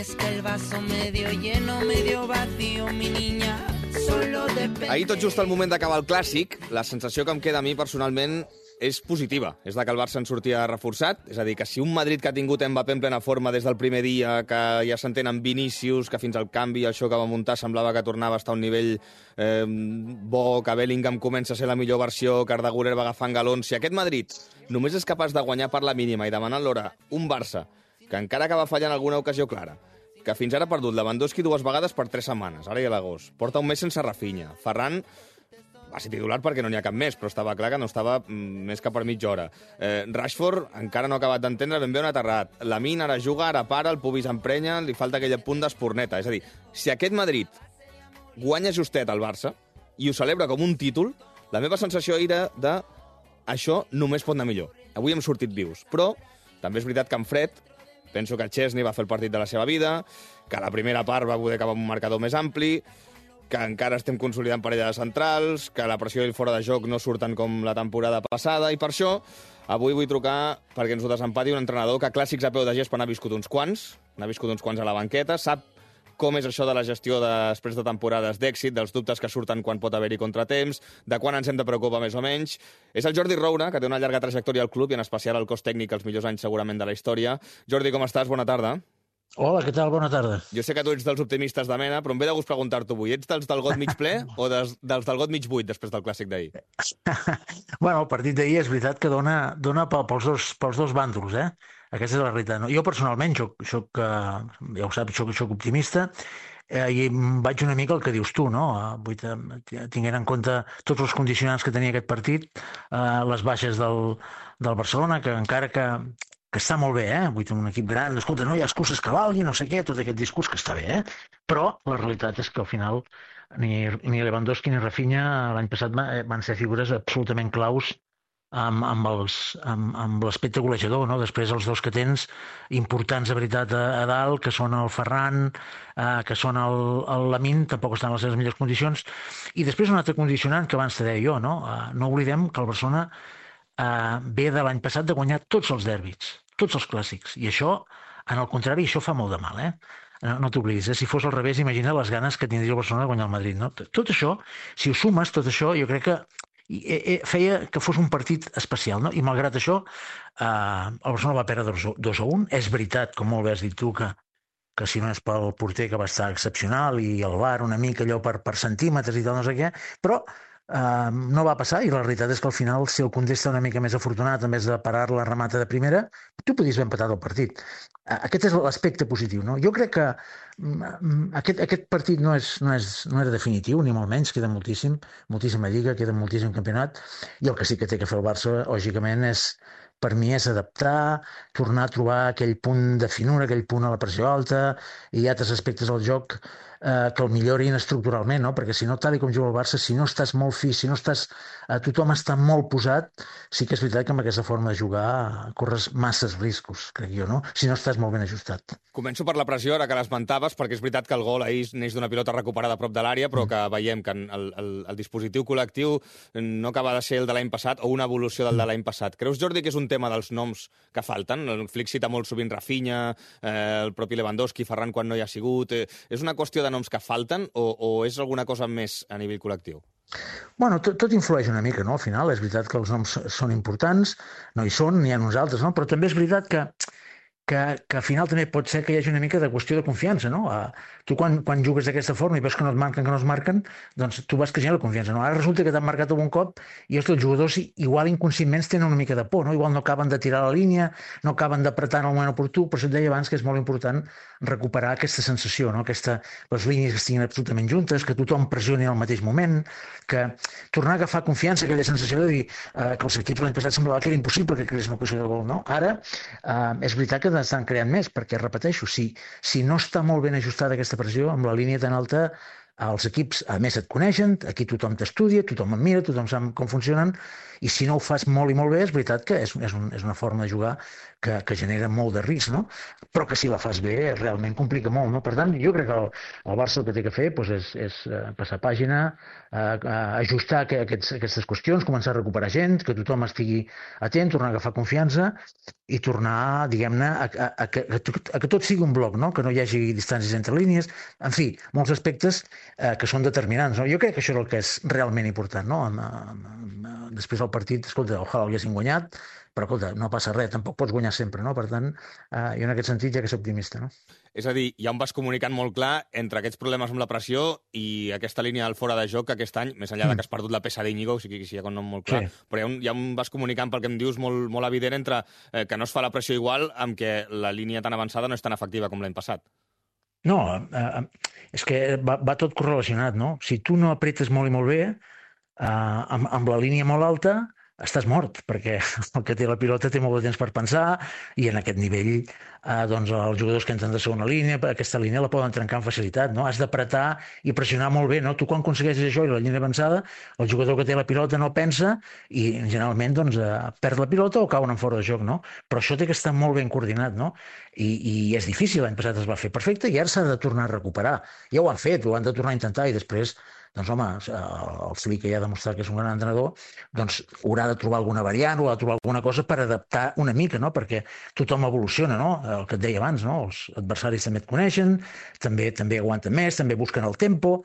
es que el vaso medio lleno, medio vacío, mi niña, solo depende... Ahir, tot just al moment d'acabar el Clàssic, la sensació que em queda a mi personalment és positiva. És la que el Barça en sortia reforçat. És a dir, que si un Madrid que ha tingut Mbappé en plena forma des del primer dia, que ja s'entén amb Vinícius, que fins al canvi, això que va muntar, semblava que tornava a estar a un nivell bo, que Bellingham comença a ser la millor versió, que Arda Güler va agafant galons... Si aquest Madrid només és capaç de guanyar per la mínima i demanar l'hora un Barça que encara acaba fallant alguna ocasió clara, que fins ara ha perdut Lewandowski 2 vegades per 3 setmanes, ara i a l'agost, porta un mes sense Rafinha, Ferran va ser titular perquè no n'hi ha cap més, però estava clar que no estava més que per mitja hora. Rashford encara no ha acabat d'entendre ben bé on ha aterrat. Lamine ara juga, ara para, el pubis emprenya, li falta aquell punt d'esporneta. És a dir, si aquest Madrid guanya justet al Barça i ho celebra com un títol, la meva sensació era de això només pot anar millor. Avui hem sortit vius, però també és veritat que en fred penso que Chesney va fer el partit de la seva vida, que la primera part va poder acabar amb un marcador més ampli, que encara estem consolidant parella de centrals, que la pressió i el fora de joc no surten com la temporada passada, i per això avui vull trucar perquè ens ho desempati un entrenador que clàssics a peu de gespa n'ha viscut uns quants, a la banqueta, sap com és això de la gestió després de temporades d'èxit, dels dubtes que surten quan pot haver-hi contratemps, de quan ens hem de preocupar més o menys. És el Jordi Roura, que té una llarga trajectòria al club i en especial al cos tècnic els millors anys segurament de la història. Jordi, com estàs? Bona tarda. Hola, què tal? Bona tarda. Jo sé que tu ets dels optimistes de mena, però em ve de gust preguntar-t'ho avui. Ets dels del got mig ple o dels del got mig buit després del clàssic d'ahir? Bueno, el partit d'ahir és veritat que dona pels dos bàndols, eh? Aquesta és la realitat. No? Jo personalment, ja ho saps, soc optimista i vaig una mica el que dius tu, no? Tinguent en compte tots els condicionants que tenia aquest partit, les baixes del Barcelona, que encara que està molt bé, vull dir, un equip gran, escolta, no hi ha excuses que valguin, no sé què, tot aquest discurs que està bé, però la realitat és que al final ni Lewandowski ni Rafinha l'any passat van ser figures absolutament claus amb l'aspecte golejador, no? Després els dos que tens importants de veritat a dalt, que són el Ferran, que són el Lamine, tampoc estan en les seves millors condicions, i després un altre condicionant que abans te deia jo, no? No oblidem que el Barcelona ve de l'any passat de guanyar tots els derbis, tots els clàssics, i això, en el contrari, això fa molt de mal, No t'oblidis, si fos al revés, imagina les ganes que tindria el Barcelona de guanyar el Madrid, no? Tot això, si ho sumes, tot això, jo crec que feia que fos un partit especial, no? I malgrat això, el Barcelona va perdre 2-1. És veritat, com molt bé has dit tu, que si no és pel porter que va estar excepcional i el VAR una mica allò per centímetres i tal, no sé què, però no va passar i la realitat és que al final, si el Koundé està una mica més afortunat, en vez de parar la remata de primera, tu podies haver empatat el partit. Aquest és l'aspecte positiu, no? Jo crec que aquest partit no era definitiu, ni molt menys, queda moltíssima lliga, queda moltíssim campionat, i el que sí que té que fer el Barça, lògicament, per mi és adaptar, tornar a trobar aquell punt de finura, aquell punt a la pressió alta i altres aspectes del joc que el millorin estructuralment, no? Perquè si no, tal com juga el Barça, si no estàs molt fi, si no estàs... tothom està molt posat, sí que és veritat que amb aquesta forma de jugar corres masses riscos, crec jo, no? Si no estàs molt ben ajustat. Començo per la pressió, ara que l'esmentaves, perquè és veritat que el gol ahir neix d'una pilota recuperada a prop de l'àrea, però que veiem que el dispositiu col·lectiu no acaba de ser el de l'any passat o una evolució del de l'any passat. Creus, Jordi, que és un tema dels noms que falten? El Flick cita molt sovint Rafinha, el propi Lewandowski, Ferran quan no hi ha sigut. És una qüestió de noms que falten o és alguna cosa més a nivell col·lectiu? Bueno, tot influeix una mica, no? Al final és veritat que els noms són importants, no hi són, n'hi ha uns altres, no? Però també és veritat que al final també pot ser que hi hagi una mica de qüestió de confiança, no? Tu quan jugues d'aquesta forma i veus que no es marquen, doncs tu vas creixent la confiança, no? Ara resulta que t'han marcat algun cop i els jugadors igual inconscientment tenen una mica de por, no? Igual no acaben de tirar la línia, no acaben d'apretar en el moment oportú, per això et deia abans que és molt important recuperar aquesta sensació, no? Les línies que estiguin absolutament juntes, que tothom pressioni al mateix moment, que tornar a agafar confiança, aquella sensació de dir que els equips l'any passat semblava que era impossible que creés una ocasió de gol, no? Ara és veritat que estan creant més, perquè, repeteixo, si no està molt ben ajustada aquesta pressió, amb la línia tan alta, els equips, a més, et coneixen, aquí tothom t'estudia, tothom em mira, tothom sap com funcionen, i si no ho fas molt i molt bé, és veritat que és una forma de jugar que genera molt de risc, no? Però que si la fas bé realment complica molt, no? Per tant, jo crec que el Barça el que té que fer doncs, és passar pàgina, ajustar aquestes qüestions, començar a recuperar gent, que tothom estigui atent, tornar a agafar confiança i tornar, diguem-ne, a que tot sigui un bloc, no? Que no hi hagi distàncies entre línies, en fi, molts aspectes que són determinants, no? Jo crec que això és el que és realment important, no? Després del partit, escolta, ojalà l'haguessin guanyat, però escolta, no passa res, tampoc pots guanyar sempre, no? Per tant, jo en aquest sentit ja que soc optimista, no? És a dir, hi ha un vas comunicant molt clar entre aquests problemes amb la pressió i aquesta línia del fora de joc que aquest any, més enllà de que has perdut la peça d'Íñigo, o sigui que hi ha un nom molt clar, sí. Però hi ha un vas comunicant pel que em dius molt, molt evident entre que no es fa la pressió igual amb que la línia tan avançada no és tan efectiva com l'any passat. No, és que va tot correlacionat, no? Si tu no apretes molt i molt bé, amb la línia molt alta, estàs mort, perquè el que té la pilota té molt de temps per pensar i en aquest nivell doncs els jugadors que entren de segona línia, aquesta línia la poden trencar amb facilitat, no? Has d'apretar i pressionar molt bé, no? Tu quan aconsegueixes això i la línia avançada, el jugador que té la pilota no pensa i generalment doncs, perd la pilota o cauen en fora de joc, no? Però això té que estar molt ben coordinat, no? I és difícil, l'any passat es va fer perfecte i ara s'ha de tornar a recuperar. Ja ho han fet, ho han de tornar a intentar i després doncs home, el Flick, que ja ha demostrat que és un gran entrenador, doncs haurà de trobar alguna variant, haurà de trobar alguna cosa per adaptar una mica, no? Perquè tothom evoluciona, no? El que et deia abans, no? Els adversaris també et coneixen, també aguanten més, també busquen el tempo.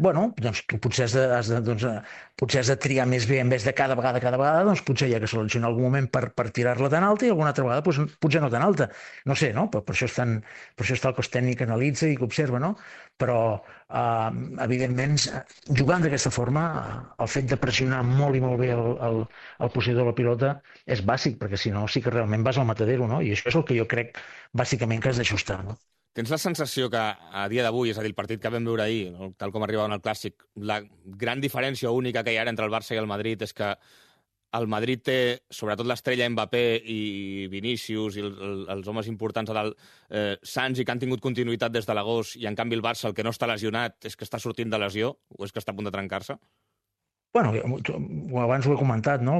Bueno, doncs tu potser has de triar més bé en vez de cada vegada, doncs potser hi ha que seleccionar algun moment per tirar-la tan alta i alguna altra vegada doncs, potser no tan alta. No sé, no? Per això està el cos tècnic que analitza i que observa, no? Però, evidentment, jugant d'aquesta forma, el fet de pressionar molt i molt bé el posseïdor de la pilota és bàsic, perquè si no sí que realment vas al matadero, no? I això és el que jo crec bàsicament que has d'ajustar, no? Tens la sensació que a dia d'avui, és a dir, el partit que vam veure ahir, tal com arribava en el Clàssic, la gran diferència única que hi ha entre el Barça i el Madrid és que el Madrid té, sobretot l'estrella Mbappé i Vinícius i els homes importants a dalt, sans i que han tingut continuïtat des de l'agost, i en canvi el Barça, el que no està lesionat, és que està sortint de lesió o és que està a punt de trencar-se? Bueno, abans ho he comentat, no?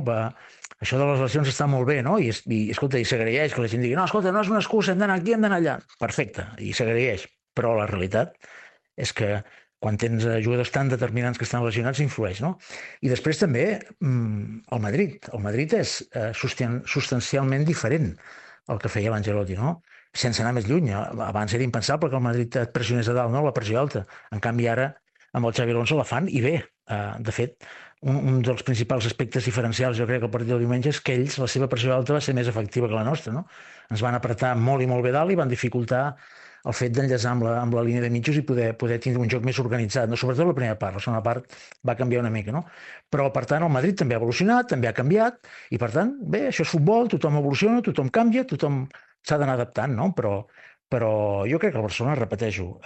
Això de les lesions està molt bé, no? I escolta, i s'agraeix que la gent digui no, escolta, no és una excusa, hem d'anar aquí, hem d'anar allà. Perfecte, i s'agraeix. Però la realitat és que quan tens jugadors tan determinants que estan lesionats, influeix, no? I després també el Madrid. El Madrid és substancialment diferent al que feia l'Ancelotti, no? Sense anar més lluny. Abans era impensable que el Madrid et pressionés a dalt, no? La pressió alta. En canvi, ara, amb el Xabi Alonso la fan i bé. De fet, un dels principals aspectes diferencials, jo crec, al partit del diumenge és que ells, la seva pressió alta va ser més efectiva que la nostra, no? Ens van apretar molt i molt bé dalt i van dificultar el fet d'enllaçar amb la línia de mitjos i poder tindre un joc més organitzat, no? Sobretot la primera part, la segona part va canviar una mica, no? Però, per tant, el Madrid també ha evolucionat, també ha canviat, i, per tant, bé, això és futbol, tothom evoluciona, tothom canvia, tothom s'ha d'anar adaptant, no? Però jo crec que el Barcelona, repeteixo,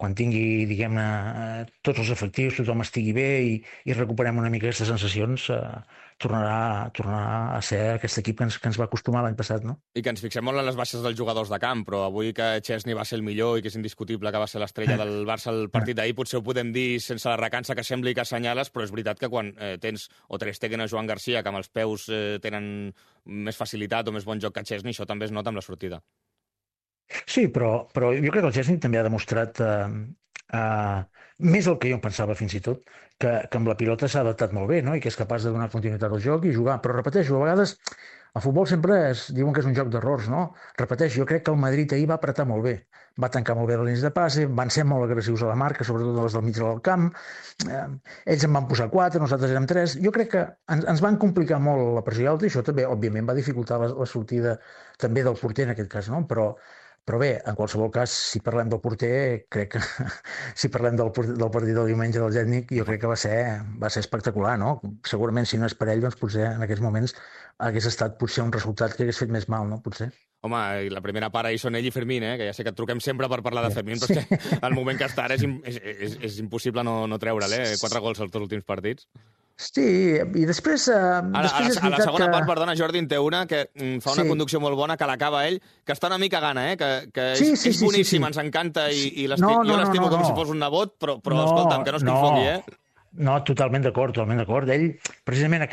quan tingui, diguem-ne, tots els efectius, tothom estigui bé i recuperem una mica aquestes sensacions, tornarà a ser aquest equip que ens va acostumar l'any passat, no? I que ens fixem molt en les baixes dels jugadors de camp, però avui que Chesney va ser el millor i que és indiscutible que va ser l'estrella del Barça al partit d'ahir, potser ho podem dir sense la recança que sembli que assenyales, però és veritat que quan tens o Ter Stegen o Joan Garcia, que amb els peus tenen més facilitat o més bon joc que Chesney, això també es nota amb la sortida. Sí, però jo crec que el Chesney també ha demostrat més el que jo em pensava fins i tot, que amb la pilota s'ha adaptat molt bé, no? I que és capaç de donar continuïtat al joc i jugar. Però repeteixo, a vegades el futbol sempre diuen que és un joc d'errors, no? Repeteixo, jo crec que el Madrid ahir va apretar molt bé, va tancar molt bé les línies de passe, van ser molt agressius a la marca, sobretot les del mig del camp, ells en van posar 4, nosaltres érem 3, jo crec que ens van complicar molt la pressió alta i això també, òbviament, va dificultar la sortida també del porter en aquest cas, no? Però bé, en qualsevol cas, si parlem del porter, crec que si parlem del partit del diumenge del Gètnic, jo crec que va ser espectacular, no? Segurament, si no és per ell, doncs potser en aquests moments hagués estat potser un resultat que hagués fet més mal, no? Potser. Home, la primera part ahir són ell i Fermín, que ja sé que et truquem sempre per parlar de Fermín, però és que el moment que està ara és impossible no treure'l, 4 gols als dos últims partits. Sí, i després, A la després és a la veritat segona que... part, perdona, Jordi, en té una que fa una Sí. conducció molt bona, que l'acaba ell, que està una mica gana, que Sí, és boníssim, ens encanta, i No, jo l'estimo com si no. fos un nebot, però No, escolta'm, que no es confongui, eh? No, totalment d'acord, totalment d'acord. Ell, precisament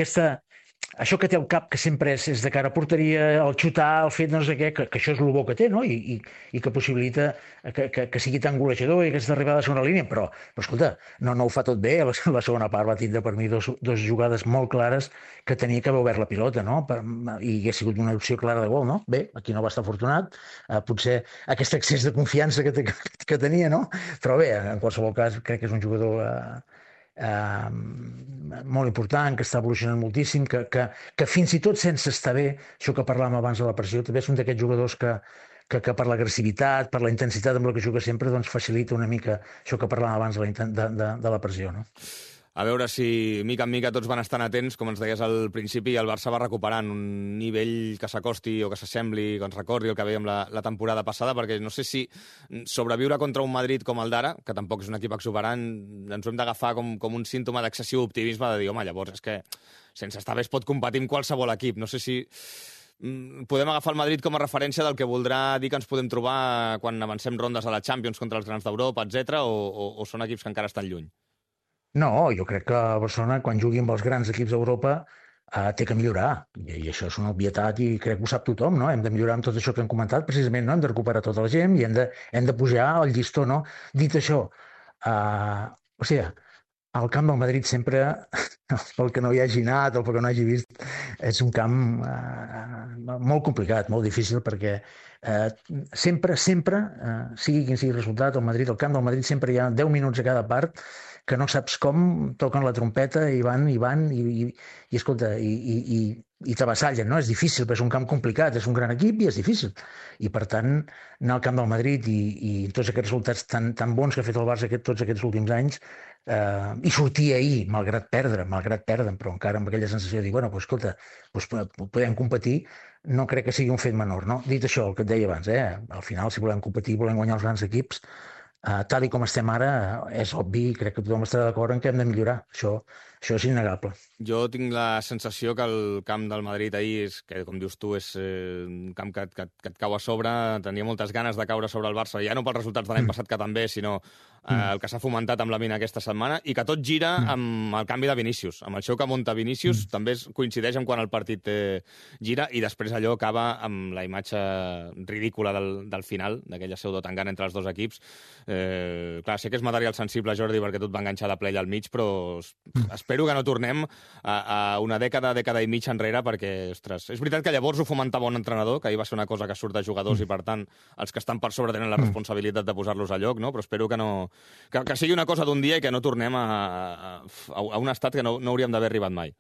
això que té al cap, que sempre és de cara a porteria, el xutar, el fet no sé què, que això és el bo que té, no? I que possibilita que sigui tan golejador i aquesta arribada a la segona línia, però escolta, no ho fa tot bé. La segona part va tindre per mi dos jugades molt clares que tenia que haver obert la pilota, no? I ha sigut una opció clara de gol, no? Bé, aquí no va estar afortunat, potser aquest excés de confiança que tenia, no? Però bé, en qualsevol cas, crec que és un jugador molt important, que està evolucionant moltíssim, que fins i tot sense estar bé, això que parlàvem abans de la pressió, també és un d'aquests jugadors que per l'agressivitat, per la intensitat amb la que juga sempre, doncs facilita una mica això que parlàvem abans de la pressió, no? A veure si, mica en mica, tots van estant atents, com ens deies al principi, i el Barça va recuperant un nivell que s'acosti o que s'assembli, que ens recordi el que veiem la temporada passada, perquè no sé si sobreviure contra un Madrid com el d'ara, que tampoc és un equip exuberant, ens ho hem d'agafar com un símptoma d'excessiu optimisme, de dir, home, llavors és que sense estar bé es pot competir amb qualsevol equip. No sé si podem agafar el Madrid com a referència del que voldrà dir que ens podem trobar quan avancem rondes a la Champions contra els grans d'Europa, etc. o són equips que encara estan lluny? No, jo crec que Barcelona, quan jugui amb els grans equips d'Europa, té que millorar. I això és una obvietat i crec que ho sap tothom, no? Hem de millorar amb tot això que hem comentat, precisament, no? Hem de recuperar tota la gent i hem de pujar el llistó, no? Dit això, o sigui, el camp del Madrid sempre, pel que no hi hagi anat o pel que no hagi vist, és un camp molt complicat, molt difícil, perquè sempre, sigui quin sigui el resultat, al camp del Madrid sempre hi ha 10 minuts a cada part que no saps com toquen la trompeta i van, escolta, i t'avassallen, no? És difícil, però és un camp complicat, és un gran equip i és difícil. I, per tant, anar al camp del Madrid i tots aquests resultats tan bons que ha fet el Barça tots aquests últims anys, i sortir ahir, malgrat perdre, però encara amb aquella sensació de dir, bueno, pues, escolta, pues, podem competir, no crec que sigui un fet menor, no? Dit això, el que et deia abans, al final, si volem competir, volem guanyar els grans equips, tal i com estem ara, és obvi, crec que tothom estarà d'acord en que hem de millorar. Això és innegable. Jo tinc la sensació que el camp del Madrid ahir, que com dius tu, és un camp que et cau a sobre, tenia moltes ganes de caure sobre el Barça, ja no pels resultats de l'any passat que també, sinó el que s'ha fomentat amb la mina aquesta setmana, i que tot gira amb el canvi de Vinícius. Amb el show que munta Vinícius també coincideix amb quan el partit gira, i després allò acaba amb la imatge ridícula del final, d'aquella pseudo-tangana entre els dos equips. Clar, sé que és material sensible, Jordi, perquè tot va enganxar de ple allà al mig, però espero que no tornem a una dècada i mitja enrere, perquè, ostres, és veritat que llavors ho fomentava un entrenador, que ahir va ser una cosa que surt de jugadors i, per tant, els que estan per sobre tenen la responsabilitat de posar-los a lloc, no? Però espero que que sigui una cosa d'un dia i que no tornem a un estat que no hauríem d'haver arribat mai.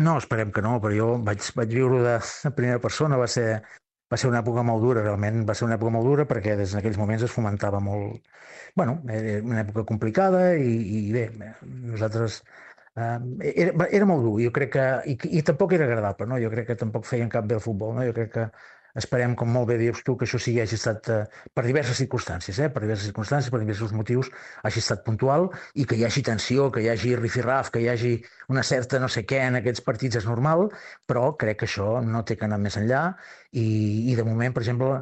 No, esperem que no, però jo vaig viure de primera persona, va ser una època molt dura, realment va ser una època molt dura, perquè des d'aquells moments es fomentava molt... Bueno, era una època complicada i bé, nosaltres... Era molt dur, jo crec que... I tampoc era agradable, no? Jo crec que tampoc feien cap bé el futbol, no? Jo crec que esperem, com molt bé dius tu, que això hagi estat per diverses circumstàncies, per diversos motius, hagi estat puntual i que hi hagi tensió, que hi hagi rifirraf, que hi hagi una certa no sé què en aquests partits és normal, però crec que això no té que anar més enllà i de moment, per exemple,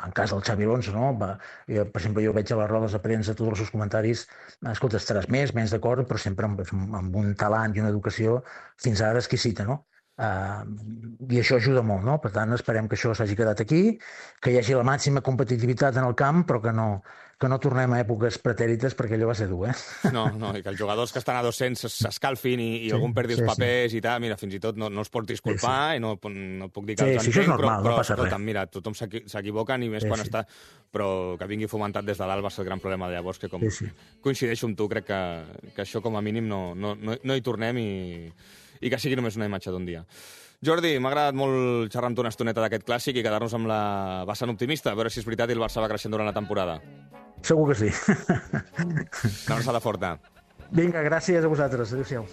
en cas del Xabi Alonso, no? Per exemple, jo veig a les rodes de premsa tots els seus comentaris, escolta, estaràs menys d'acord, però sempre amb un talent i una educació fins ara exquisita, no? I això ajuda molt, no? Per tant, esperem que això s'hagi quedat aquí, que hi hagi la màxima competitivitat en el camp, però que no tornem a èpoques pretèrites, perquè allò va ser dur, No, i que els jugadors que estan a 200 s'escalfin i algun perdi els papers i tal, mira, fins i tot no es pot disculpar i no puc dir que els entenc, això és normal, no passa res. Mira, tothom s'equivoca, ni més quan està... Però que vingui fomentat des de dalt va ser el gran problema de llavors, que com coincideixo amb tu, crec que això com a mínim no hi tornem i que sigui només una imatge d'un dia. Jordi, m'ha agradat molt xerrar amb tu una estoneta d'aquest clàssic i quedar-nos amb la vessant optimista, a veure si és veritat i el Barça va creixent durant la temporada. Segur que sí. Una abraçada forta. Vinga, gràcies a vosaltres. Adéu-siau.